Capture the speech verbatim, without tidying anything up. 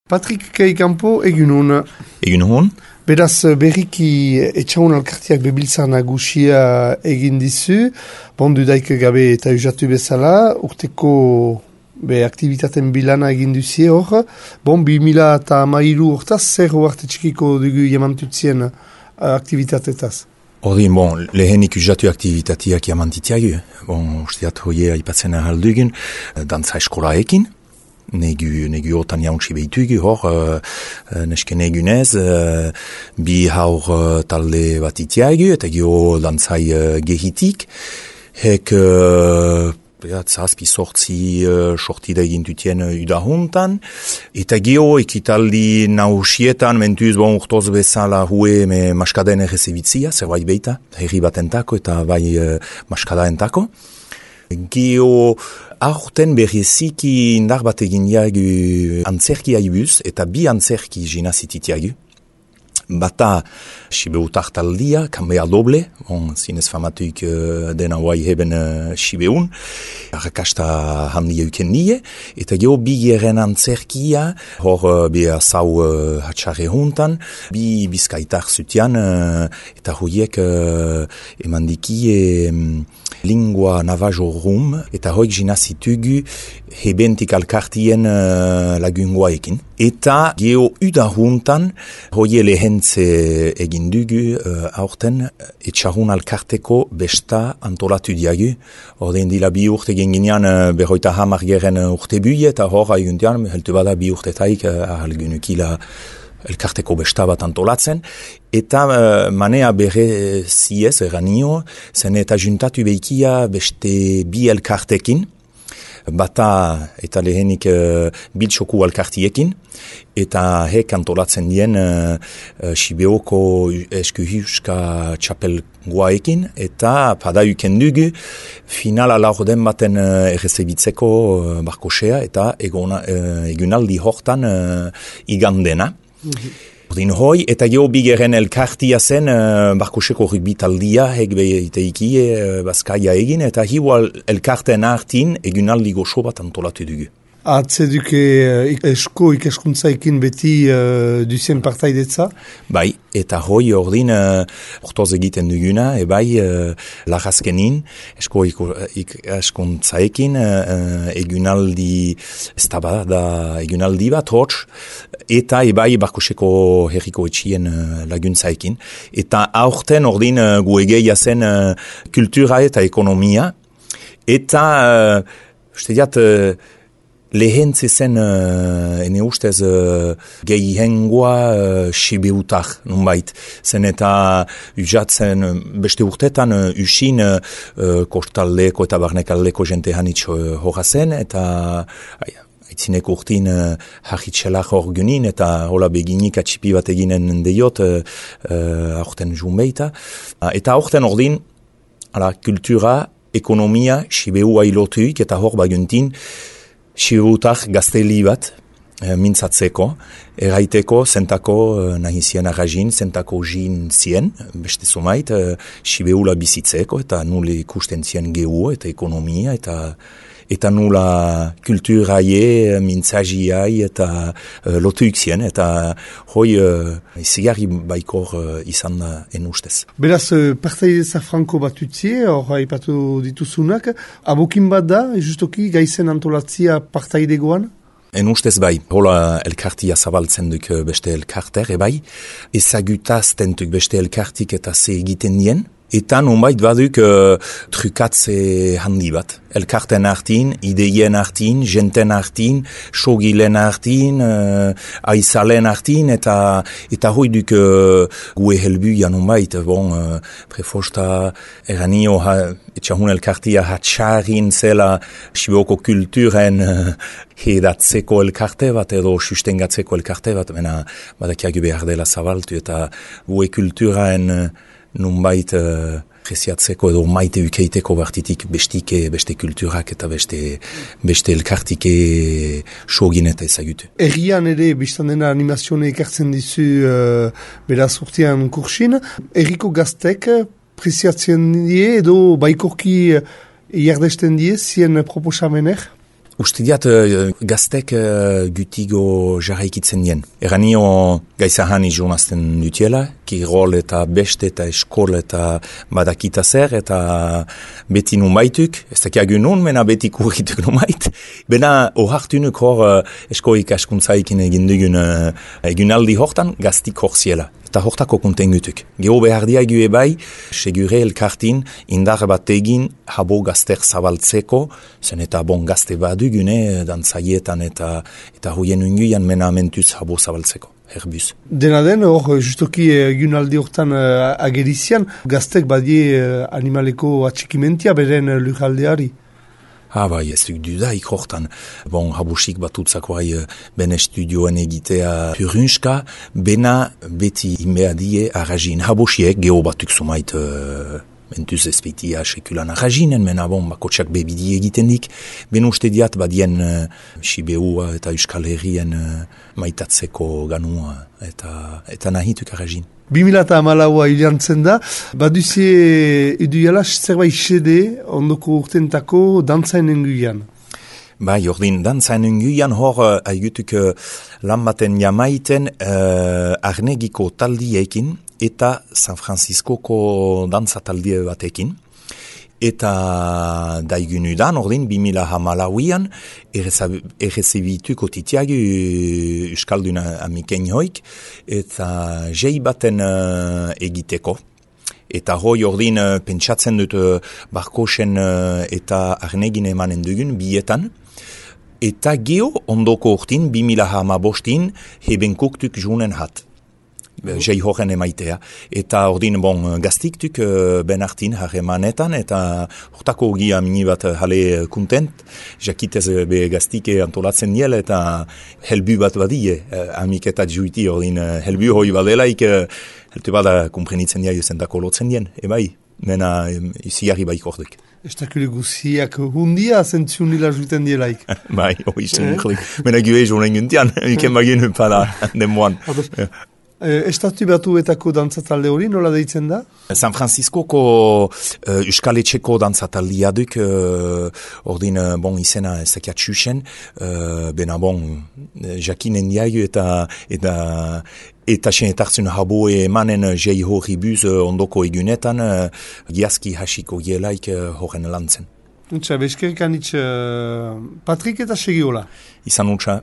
Patrik Kaikampo, egun hon. Egun hon. Beraz, berriki etxaun alkartiak bebiltzar nagusia egin dizu, bondu daik gabe eta usatu bezala, urteko be aktivitaten bilana egin duzie hor, bon, bi mila eta amairu hortaz, zer hoarte txikiko dugu jamantutzien aktivitatetaz? Ordin, bon, lehenik usatu aktivitatiak jamantitiagu, bon, usteat hoie aipatzen ahaldugun, dantza eskolaekin, Negu, negu otan jauntsi behitugu, hor, uh, neske negunez, uh, bi haur uh, talde bat itiagu, eta geho dantzai uh, gehitik, hek, uh, ja, zazpi sortzi uh, sortida egintutien uh, udahuntan, eta geho ekitaldi nausietan, mentuz, bon, urtoz bezala hue me maskaden errezebitzia, zerbait beita, herri batentako eta bai uh, maskadaentako. Geho aurten bereziki indar bat egin jagu antzerki aibuz eta bi antzerki jinazititiagu. Bata Sibeutar taldia, kanbea doble, bon, zinez famatuik uh, dena guai heben uh, Sibeun, arrakasta handia uken nie, eta geho bi geren antzerkia, hor uh, beha zau uh, hatxarre juntan, bi bizkaitar zutian, uh, eta hoiek uh, emandiki e, um, lingua navajo rum, eta hoik jinazitugu hebentik alkartien uh, lagungoaekin. Eta geho uda juntan, hoie lehentze egin dugu uh, aurten etxarun alkarteko besta antolatu diagu. Ordein dila bi urte egin ginean uh, berroita hamar geren urte bui, eta hor aiguntian, heltu bada bi urtetaik uh, ahalgunukila elkarteko besta bat antolatzen. Eta uh, manea bere ziez, eranio, zen eta juntatu behikia beste bi elkartekin, bata eta lehenik uh, biltsoku alkartiekin, eta hek antolatzen dien uh, uh, Sibeoko eskuhuska txapel guaekin, eta pada uken dugu finala laurden baten uh, errezebitzeko uh, barkosea, eta egona, uh, egunaldi hortan uh, igandena. Mm-hmm. Ordin hoi, eta geho bigeren elkartia zen uh, barkoseko rugbi taldia, hek behiteiki uh, bazkaia egin, eta hiu elkarten hartin egunaldi goxo bat antolatu dugu. Atzeduke uh, esko ikaskuntzaikin beti uh, duzien partaidetza? Bai, eta hoi ordin uh, ortoz egiten duguna, e bai uh, lagazkenin, esko ikaskuntzaikin uh, egunaldi, ez da bada da egunaldi bat hotz, eta ebai barkoseko herriko etxien uh, laguntzaikin. Eta aurten ordin uh, guegeia zen uh, kultura eta ekonomia, eta uh, uste diat, uh, lehentze zen, uh, ene ustez, uh, gehi hengoa uh, Sibeutar, nunbait. Zen eta usatzen beste urtetan uh, usin uh, kostaldeko eta barnekaldeko jente hanitz uh, horra zen, eta aia, aitzinek urtin uh, harritxelak hor gunin, eta hola beginik atxipi bat eginen deiot, uh, uh, aurten junbeita. Uh, eta aurten ordin, ala, kultura, ekonomia, Sibeu ailotuik, eta hor baguntin, Sibeutar gazteli bat, e, mintzatzeko, erraiteko, zentako e, nahizien arrazin, zentako jin zien, beste zumait, e, Sibeula bizitzeko, eta nule ikusten zien gehu, eta ekonomia, eta eta nula kulturaie, mintzagiai, eta uh, lotuik zien, eta hoi uh, izigarri baikor uh, izan da enustez. Beraz, partaideza franko bat utzie, hor haipatu dituzunak, abokin bat da, justoki gaizen antolatzia partaidegoan? En ustez bai, hola elkartia zabaltzen duk beste elkarter, ebai, ezagutazten duk beste elkartik eta ze egiten dien, eta nonbait baduk uh, trukatze handi bat. Elkarten hartin, ideien hartin, jenten hartin, sogilen hartin, uh, aizalen hartin, eta eta hoi duk uh, gue helbuia nonbait, bon, uh, prefosta eranio ha, etxahun elkartia hatxarin zela Sibeoko kulturen uh, hedatzeko elkarte bat edo sustengatzeko elkarte bat, mena badakiagu behar dela zabaltu, eta gue kulturaen uh, nunbait uh, presiatzeko edo maite ukeiteko bartitik bestike, beste kulturak eta beste, beste elkartike sogin eta ezagutu. Errian ere, biztan dena animazione ekartzen dizu uh, beraz urtean kursin, erriko gaztek presiatzen die edo baikorki uh, jardesten die zien proposamener? Uste diat, uh, gaztek uh, gutigo jarraikitzen dien. Eranio gaizahani jounazten dutiela, kirol eta beste eta eskol eta badakita zer, eta beti numaituk, ez dakiagu nun, mena beti kurrituk numait. Bena ohartunuk hor uh, eskoik askuntzaikin egin dugun uh, egunaldi hortan gaztik hor ziela. Eta hortako kontengutuk. Gero behar diagu ebai, segure elkartin indar bat egin habo gazter zabaltzeko, zen eta bon gazte badugune, dantzaietan eta eta hoien unguian mena mentuz habo zabaltzeko. Herbuz. Dena den, hor, justoki egunaldi hortan uh, agerizian, gaztek badie uh, animaleko atxikimentia beren uh, lujaldeari. Ah, bai, ez duk dudaik hortan. Bon, habusik batutzakoai ben estudioen egitea purunska, bena beti inbeadie arrazin. Habusiek geho batuk sumait uh, mentuz ezpeitia sekulan arrazinen, mena bon, bakotxak bebidi egiten dik. Ben uste diat badien uh, Sibeua eta Euskal Herrien uh, maitatzeko ganua eta, eta nahituk arrazin. bi mila hamalaua hilantzen da, baduzie iduiala zerbait xede ondoko urtentako dantzainen guian. Bai, ordin, dantzainen guian hor uh, aigutuk uh, lan baten jamaiten uh, arnegiko taldiekin eta San Franciscoko dantza taldie batekin. Eta daigunudan, ordin, bi mila hamalauian, errezebituko titiagu Euskalduna amiken hoik, eta jei baten uh, egiteko. Eta hoi ordin, uh, pentsatzen dut uh, barkosen uh, eta arnegin emanen dugun bietan. Eta geho ondoko urtin, bi mila hamabostin, hebenkoktuk junen hat. Jei horren emaitea. Eta ordin, bon, gaztiktuk uh, ben hartin harremanetan, eta hortako gia mini bat hale kontent, jakitez be gaztike antolatzen niel, eta helbu bat badie, uh, amiketat juiti, ordin, uh, helbu hoi badelaik, uh, helte bada komprenitzen dia jozentako lotzen dien, ebai, mena um, ziarri baik ordek. Estakule guziak hundia zentzun nila juiten dielaik. Bai, hoi zen nuklik. Mena gue jonen guntian, iken bagin pada den moan. Estatu batuetako dantzatalde hori nola deitzen da? San Franciscoko uh, Euskal Etxeko dantzataldia duk, uh, ordin, uh, bon, izena ez dakiat xuxen, uh, bena bon, jakinen diagu eta eta eta sen etartzen habo emanen jei hori buz uh, ondoko egunetan, uh, giazki hasiko gielaik uh, horren lantzen. Untsa, bezkerkan itx uh, Patrik eta Segiola. Izan untsa.